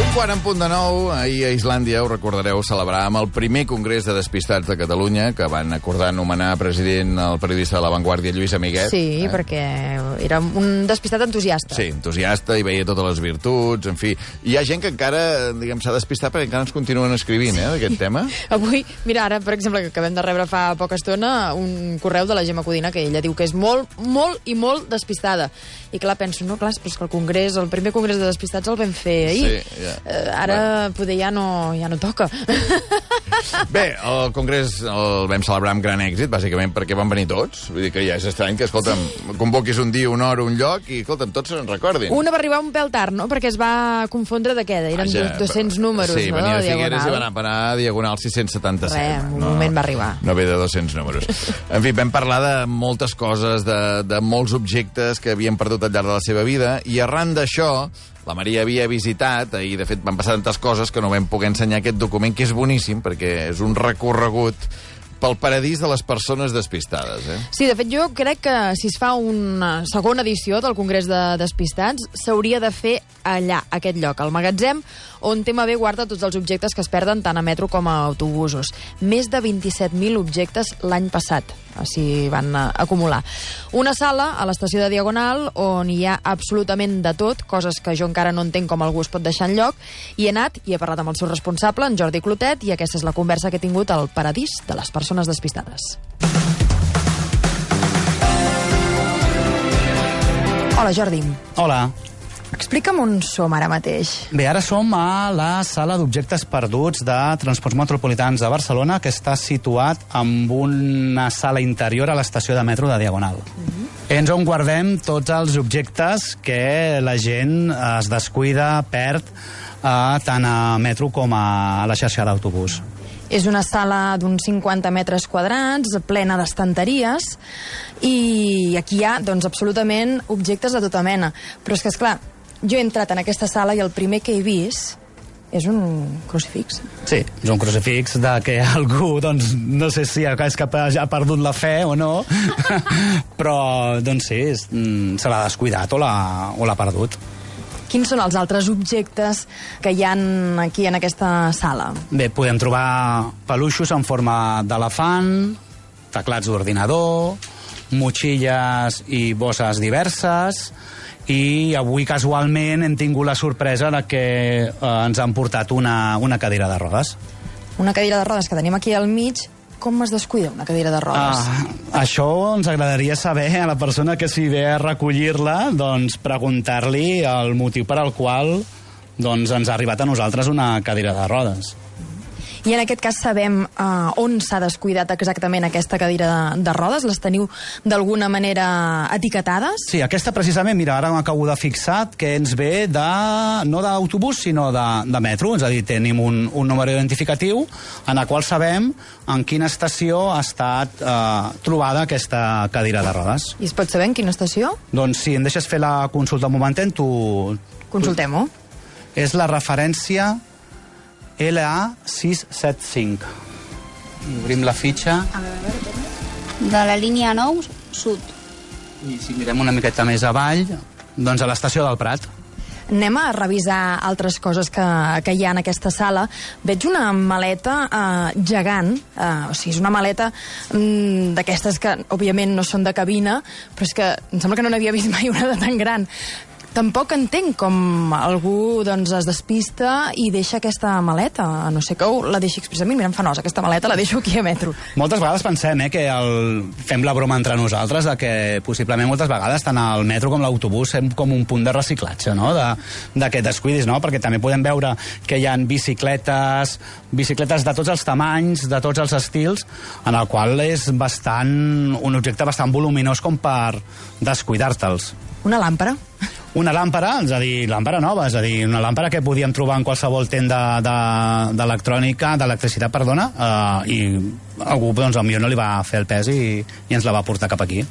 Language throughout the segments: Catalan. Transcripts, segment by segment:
Quan en punt de nou, ahir a Islàndia, ho recordareu, celebràvem el primer Congrés de Despistats de Catalunya, que van acordar anomenar president el periodista de La Vanguardia, Lluís Amiguet. Sí, perquè era un despistat entusiasta. Sí, entusiasta, i veia totes les virtuts, en fi. Hi ha gent que encara, diguem, s'ha despistat perquè encara ens continuen escrivint, d'aquest tema. Avui, mira, ara, per exemple, que acabem de rebre fa poca estona un correu de la Gemma Codina, que ella diu que és molt, molt i molt despistada. I clar, penso, no, clar, però és que el congrés, el primer congrés de despistats el vam fer ahir. Sí, ja. Ara poder ja no toca. Bé, el congrés el vam celebrar amb gran èxit, bàsicament perquè van venir tots. Vull dir que ja és estrany que, escolta'm, convoquis un dia, una hora, un lloc i, escolta'm, tots se'n recordin. Una va arribar un pèl tard, no?, perquè es va confondre de què? Eren 200 números, sí, no?, venia de de Figueres Diagonal. i van parar a Diagonal 677. Res, un moment va arribar. No ve de 200 números. En fi, vam parlar de moltes coses, de molts objectes que havien perdut al llarg de la seva vida, i arran d'això, la Maria havia visitat, i de fet van passar tantes coses que no vam poder ensenyar aquest document, que és boníssim, perquè és un recorregut pel paradís de les persones despistades. Sí, de fet, jo crec que si es fa una segona edició del Congrés de Despistats, s'hauria de fer allà, aquest lloc, al magatzem, on TMB guarda tots els objectes que es perden tant a metro com a autobusos. Més de 27.000 objectes l'any passat, s'hi van acumular. Una sala a l'estació de Diagonal on hi ha absolutament de tot, coses que jo encara no entenc com algú es pot deixar enlloc, i he anat i he parlat amb el seu responsable, en Jordi Clotet, i aquesta és la conversa que he tingut al paradís de les persones despistades. Hola, Jordi. Hola. Explica'm on som ara mateix. Bé, ara som a la sala d'objectes perduts de Transports Metropolitans de Barcelona, que està situat amb una sala interior a l'estació de metro de Diagonal. És on guardem tots els objectes que la gent es descuida, perd, tant a metro com a la xarxa d'autobús. És una sala d'uns 50 metres quadrats, plena d'estanteries, i aquí hi ha, doncs, absolutament objectes de tota mena. Però és que, esclar, jo he entrat en aquesta sala i el primer que he vist és un crucifix. Sí, és un crucifix de que algú, doncs, no sé si és que ha perdut la fe o no, però, doncs sí, se l'ha descuidat o l'ha perdut. Quins són els altres objectes que hi ha aquí en aquesta sala? Bé, podem trobar peluixos en forma d'elefant, teclats d'ordinador, motxilles i bosses diverses, i avui casualment hem tingut la sorpresa de que ens han portat una cadira de rodes. Una cadira de rodes que tenim aquí al mig. Com es descuida una cadira de rodes? Això ens agradaria saber a la persona que s'hi ve a recollir-la, doncs preguntar-li el motiu per al qual doncs, ens ha arribat a nosaltres una cadira de rodes. I en aquest cas sabem on s'ha descuidat exactament aquesta cadira de rodes? Les teniu d'alguna manera etiquetades? Sí, aquesta precisament, mira, ara m'acabo de fixar que ens ve no d'autobús, sinó de metro. És a dir, tenim un número identificatiu en el qual sabem en quina estació ha estat trobada aquesta cadira de rodes. I es pot saber en quina estació? Doncs si em deixes fer la consulta un momentet, Consultem-ho. És la referència LA675. Obrim la fitxa. De la línia 9, sud. I si mirem una miqueta més avall, doncs a l'estació del Prat. Anem a revisar altres coses que hi ha en aquesta sala. Veig una maleta gegant, o sigui, és una maleta d'aquestes que, òbviament, no són de cabina, però és que em sembla que no n'havia vist mai una de tan gran. Tampoc entenc com algú doncs, es despista i deixa aquesta maleta. A no sé que la deixi expressament. Mira, em fa nosa, aquesta maleta la deixo aquí a metro. Moltes vegades pensem que fem la broma entre nosaltres de que possiblement moltes vegades tant el metro com l'autobús fem com un punt de reciclatge, no? de que et descuidis, no? Perquè també podem veure que hi ha bicicletes de tots els tamanys, de tots els estils, en el qual és un objecte bastant voluminós com per descuidar-te'ls. Una làmpara? Una làmpara, és a dir, làmpara nova, és a dir, una làmpara que podíem trobar en qualsevol tenda d'electricitat, i algú, doncs, potser no li va fer el pes i ens la va portar cap aquí.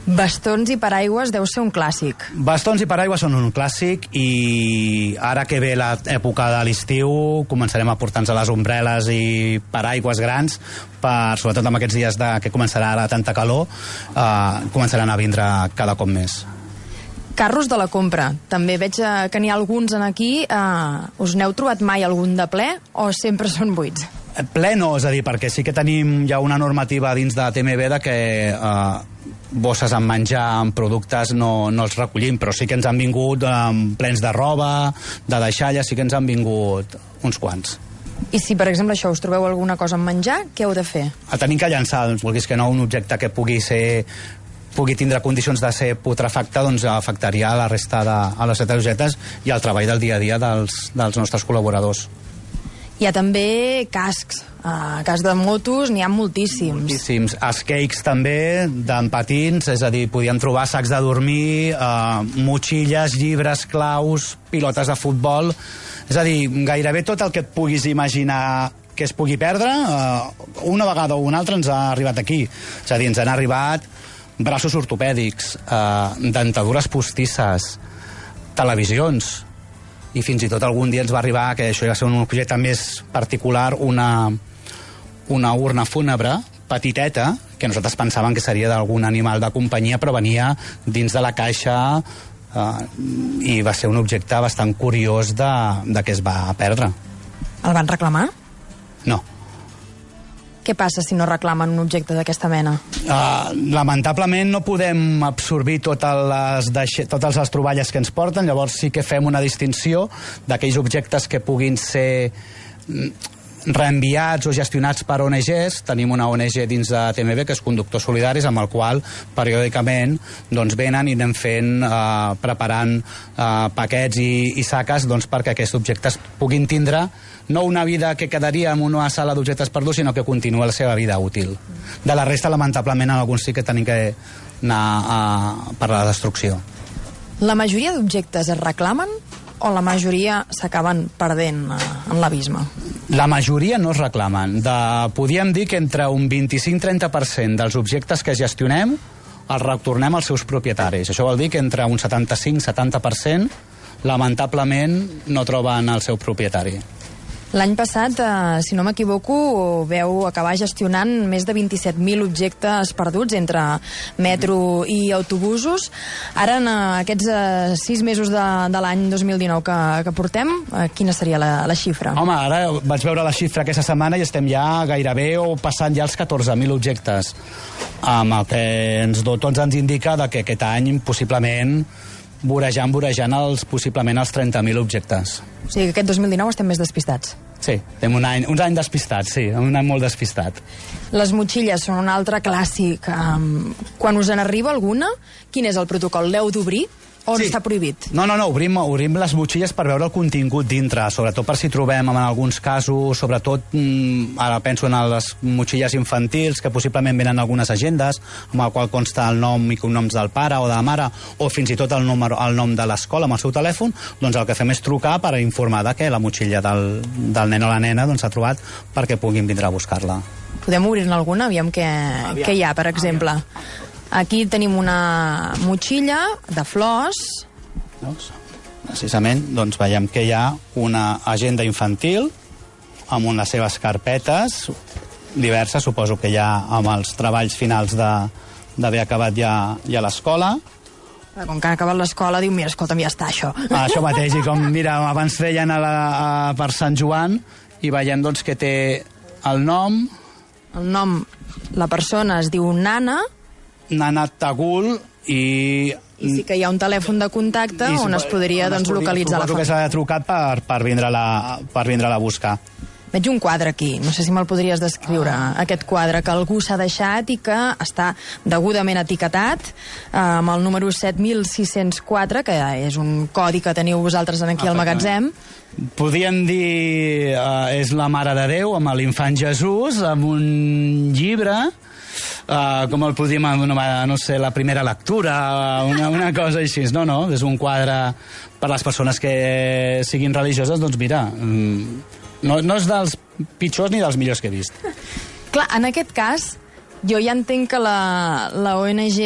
Bastons i paraigües deu ser un clàssic. Bastons i paraigües són un clàssic i ara que ve l'època de l'estiu començarem a portar-nos a les ombrel·les i paraigües grans, sobretot amb aquests dies que començarà ara tanta calor, començaran a vindre cada cop més. Carros de la compra. També veig que n'hi ha alguns en aquí. Us n'heu trobat mai algun de ple o sempre són buits? Ple no, és a dir, perquè sí que tenim ja una normativa dins de TMB de que bosses amb menjar, amb productes, no els recollim, però sí que ens han vingut plens de roba, de deixalles, sí que ens han vingut uns quants. I si, per exemple, us trobeu alguna cosa amb menjar, què heu de fer? Tenim que llançar, vulguis que no, un objecte que pugui tindre condicions de ser putrefacte, doncs afectaria la resta de les objectes i el treball del dia a dia dels nostres col·laboradors. Hi ha també cascs. Cascs de motos n'hi ha moltíssims. Moltíssims. Skates també, d'en patins, és a dir, podíem trobar sacs de dormir, motxilles, llibres, claus, pilotes de futbol. És a dir, gairebé tot el que et puguis imaginar que es pugui perdre, una vegada o una altra ens ha arribat aquí. És a dir, ens han arribat braços ortopèdics, dentadures postisses, televisions, i fins i tot algun dia ens va arribar, que això va ser un objecte més particular, una urna fúnebre petiteta, que nosaltres pensàvem que seria d'algun animal de companyia, però venia dins de la caixa i va ser un objecte bastant curiós de què es va perdre. El van reclamar? No. Què passa si no reclamen un objecte d'aquesta mena? Lamentablement no podem absorbir totes les troballes que ens porten, llavors sí que fem una distinció d'aquells objectes que puguin ser reenviats o gestionats per ONGs. Tenim una ONG dins de TMB, que és Conductors Solidaris, amb el qual periòdicament doncs, venen i anem preparant paquets i saques perquè aquests objectes puguin tindre no una vida que quedaria en una sala d'objectes perduts, sinó que continua la seva vida útil. De la resta, lamentablement, en alguns sí que tenim que anar per la destrucció. La majoria d'objectes es reclamen o la majoria s'acaben perdent en l'abisme? La majoria no es reclamen. Podríem dir que entre un 25-30% dels objectes que gestionem els retornem als seus propietaris. Això vol dir que entre un 75-70% lamentablement no troben el seu propietari. L'any passat, si no m'equivoco, veu acabar gestionant més de 27.000 objectes perduts entre metro i autobusos. Ara, en aquests 6 mesos de l'any 2019 que portem, quina seria la xifra? Home, ara vaig veure la xifra aquesta setmana i estem ja gairebé o passant ja els 14.000 objectes, amb el que tots ens indica que aquest any possiblement vorejant possiblement els 30.000 objectes. O sigui que aquest 2019 estem més despistats. Sí, estem uns anys despistats, sí, un any molt despistat. Les motxilles són un altre clàssic. Quan us en arriba alguna, quin és el protocol? L'heu d'obrir o sí. Està prohibit? No, obrim les motxilles per veure el contingut dintre, sobretot per si trobem en alguns casos, sobretot ara penso en les motxilles infantils que possiblement venen algunes agendes amb el qual consta el nom i cognoms del pare o de la mare, o fins i tot el nom de l'escola amb el seu telèfon. Doncs el que fem és trucar per informar que la motxilla del nen o la nena s'ha trobat perquè puguin vindre a buscar-la. Podem obrir-ne alguna? Aviam què hi ha, per exemple. Aquí tenim una motxilla de flors. Precisament, doncs veiem que hi ha una agenda infantil amb les seves carpetes diverses, suposo que ja amb els treballs finals d'haver acabat ja a l'escola. Com que han acabat l'escola, diu, mira, escolta'm, ja està, això. Això mateix, i com, mira, abans feien per Sant Joan, i veiem doncs que té el nom... El nom, la persona es diu Nana Tagul, i sí que hi ha un telèfon de contacte on es podria localitzar la família. Que s'ha trucat per vindre-la a buscar. Veig un quadre aquí, no sé si me'l podries descriure, aquest quadre que algú s'ha deixat i que està degudament etiquetat amb el número 7604, que és un codi que teniu vosaltres aquí al magatzem. Podríem dir és la Mare de Déu amb l'infant Jesús, amb un llibre, com el podríem anomenar, no sé, la primera lectura, una cosa així. No, és un quadre per les persones que siguin religioses, doncs mira, no és dels pitjors ni dels millors que he vist. Clar, en aquest cas, jo ja entenc que la ONG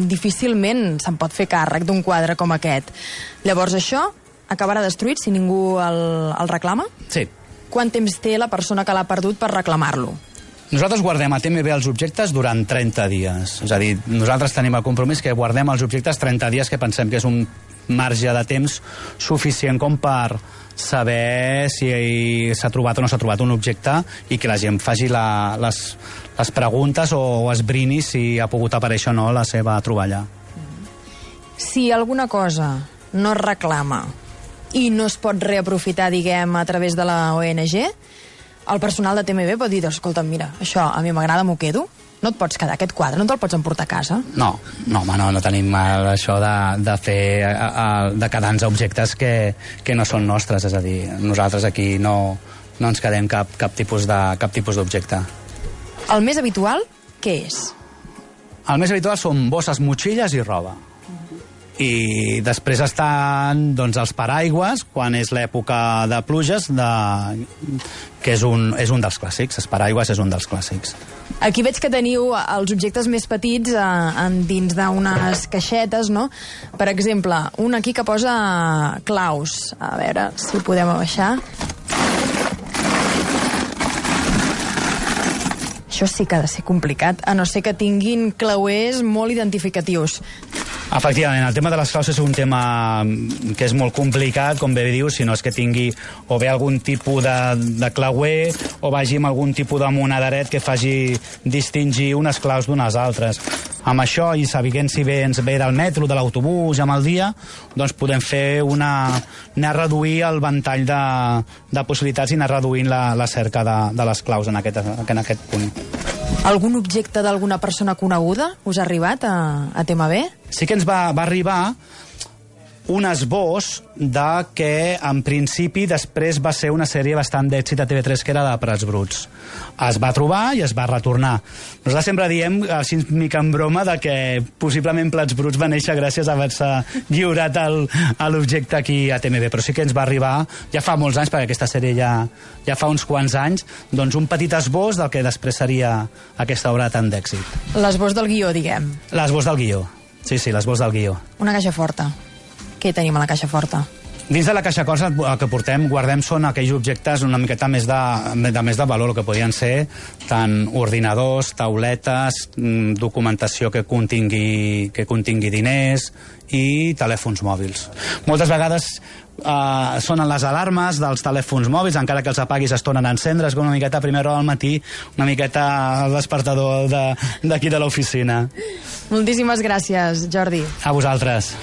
difícilment se'n pot fer càrrec d'un quadre com aquest. Llavors això acabarà destruït si ningú el reclama? Sí. Quant temps té la persona que l'ha perdut per reclamar-lo? Nosaltres guardem a TMB els objectes durant 30 dies. És a dir, nosaltres tenim el compromís que guardem els objectes 30 dies, que pensem que és un marge de temps suficient com per saber si s'ha trobat o no s'ha trobat un objecte i que la gent faci les preguntes o esbrini si ha pogut aparèixer o no la seva troballa. Si alguna cosa no es reclama i no es pot reaprofitar, diguem, a través de la ONG, el personal de TMB pot dir, escolta, mira, això a mi m'agrada, m'ho quedo. No et pots quedar aquest quadre, no te'l pots emportar a casa? No, home, no tenim això de quedar-nos objectes que no són nostres, és a dir, nosaltres aquí no ens quedem cap tipus d'objecte. El més habitual, què és? El més habitual són bosses, motxilles i roba. I després estan doncs, els paraigües, quan és l'època de pluges, que és un dels clàssics. Els paraigües és un dels clàssics. Aquí veig que teniu els objectes més petits dins d'unes caixetes, no? Per exemple, un aquí que posa claus. A veure si podem abaixar. Això sí que ha de ser complicat, a no ser que tinguin clauers molt identificatius. Efectivament, el tema de les claus és un tema que és molt complicat, com bé dius, si no és que tingui o bé algun tipus de clauer o vagi amb algun tipus de monederet que faci distingir unes claus d'unes altres. Amb això, i sabent si bé ens ve del metro, de l'autobús, amb el dia, doncs podem fer anar a reduir el ventall de possibilitats i anar reduint la cerca de les claus en aquest punt. Algun objecte d'alguna persona coneguda us ha arribat a TMB? Sí que ens va arribar un esbós de que, en principi, després va ser una sèrie bastant d'èxit a TV3, que era de Prats Bruts. Es va trobar i es va retornar. Nosaltres sempre diem, així mica en broma, de que possiblement Prats Bruts va néixer gràcies a haver-se lliurat l'objecte aquí a TMB, però sí que ens va arribar, ja fa molts anys, perquè aquesta sèrie ja fa uns quants anys, doncs un petit esbós del que després seria aquesta obra tan d'èxit. L'esbós del guió, diguem. L'esbós del guió. Sí, l'esbós del guió. Una caixa forta. Què tenim a la caixa forta? Dins de la caixa forta el que guardem són aquells objectes una miqueta més de valor, que podien ser tant ordinadors, tauletes, documentació que contingui diners i telèfons mòbils. Moltes vegades sonen les alarmes dels telèfons mòbils, encara que els apaguis es tornen a encendre, és com una miqueta a primera hora del matí, una miqueta el despertador d'aquí de l'oficina. Moltíssimes gràcies, Jordi. A vosaltres.